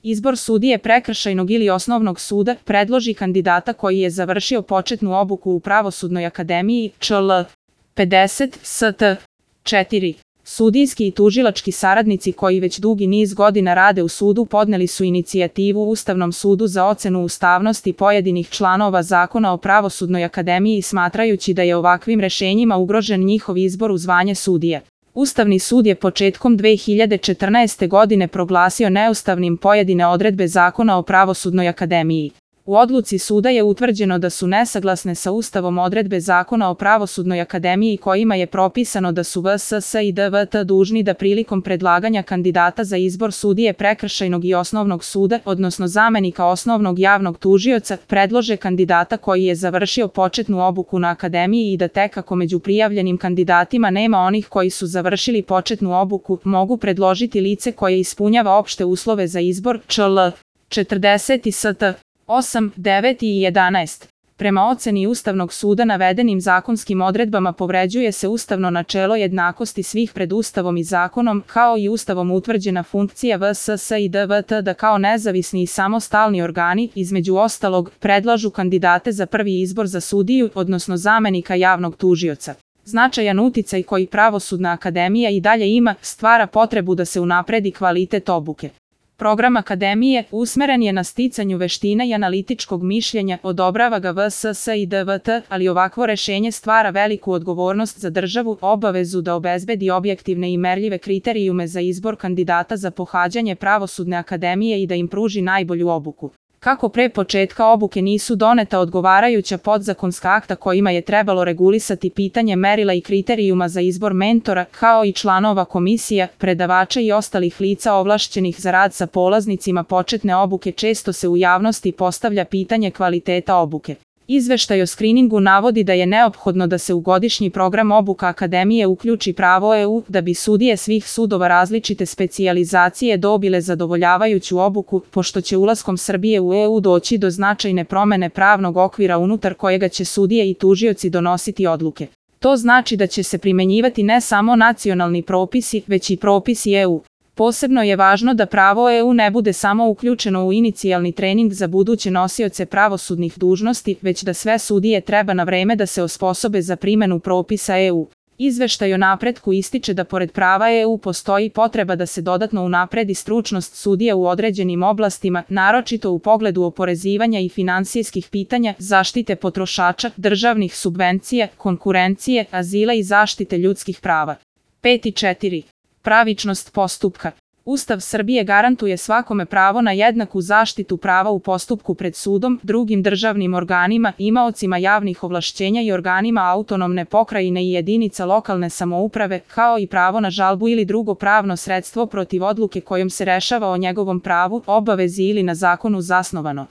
Izbor sudije prekršajnog ili osnovnog suda predloži kandidata koji je završio početnu obuku u Pravosudnoj akademiji ČL 50 ST 4. Sudijski i tužilački saradnici koji već dugi niz godina rade u sudu podneli su inicijativu Ustavnom sudu za ocenu ustavnosti pojedinih članova Zakona o Pravosudnoj akademiji smatrajući da je ovakvim rešenjima ugrožen njihov izbor u zvanje sudije. Ustavni sud je početkom 2014. godine proglasio neustavnim pojedine odredbe Zakona o Pravosudnoj akademiji. U odluci suda je utvrđeno da su nesaglasne sa Ustavom odredbe Zakona o Pravosudnoj akademiji kojima je propisano da su VSS i DVT dužni da prilikom predlaganja kandidata za izbor sudije prekršajnog i osnovnog suda, odnosno zamenika osnovnog javnog tužioca, predlože kandidata koji je završio početnu obuku na akademiji i da tek ako među prijavljenim kandidatima nema onih koji su završili početnu obuku, mogu predložiti lice koje ispunjava opšte uslove za izbor ČL 40 i ST 8, 9 i 11. Prema oceni Ustavnog suda navedenim zakonskim odredbama povređuje se ustavno načelo jednakosti svih pred Ustavom i zakonom, kao i Ustavom utvrđena funkcija VSS i DVT da kao nezavisni i samostalni organi, između ostalog, predlažu kandidate za prvi izbor za sudiju, odnosno zamenika javnog tužioca. Značajan uticaj koji Pravosudna akademija i dalje ima, stvara potrebu da se unapredi kvalitet obuke. Program akademije usmeren je na sticanju veština i analitičkog mišljenja, odobrava ga VSS i DVT, ali ovakvo rešenje stvara veliku odgovornost za državu, obavezu da obezbedi objektivne i merljive kriterijume za izbor kandidata za pohađanje Pravosudne akademije i da im pruži najbolju obuku. Kako pre početka obuke nisu doneta odgovarajuća podzakonska akta kojima je trebalo regulisati pitanje merila i kriterijuma za izbor mentora, kao i članova komisija, predavača i ostalih lica ovlašćenih za rad sa polaznicima početne obuke, često se u javnosti postavlja pitanje kvaliteta obuke. Izveštaj o skriningu navodi da je neophodno da se u godišnji program obuka akademije uključi pravo EU da bi sudije svih sudova različite specijalizacije dobile zadovoljavajuću obuku, pošto će ulaskom Srbije u EU doći do značajne promene pravnog okvira unutar kojega će sudije i tužioci donositi odluke. To znači da će se primenjivati ne samo nacionalni propisi, već i propisi EU. Posebno je važno da pravo EU ne bude samo uključeno u inicijalni trening za buduće nosioce pravosudnih dužnosti, već da sve sudije treba na vreme da se osposobe za primenu propisa EU. Izveštaj o napretku ističe da pored prava EU postoji potreba da se dodatno unapredi stručnost sudija u određenim oblastima, naročito u pogledu oporezivanja i finansijskih pitanja, zaštite potrošača, državnih subvencija, konkurencije, azila i zaštite ljudskih prava. 5 i 4. Pravičnost postupka. Ustav Srbije garantuje svakome pravo na jednaku zaštitu prava u postupku pred sudom, drugim državnim organima, imaocima javnih ovlašćenja i organima autonomne pokrajine i jedinica lokalne samouprave, kao i pravo na žalbu ili drugo pravno sredstvo protiv odluke kojom se rešava o njegovom pravu, obavezi ili na zakonu zasnovano.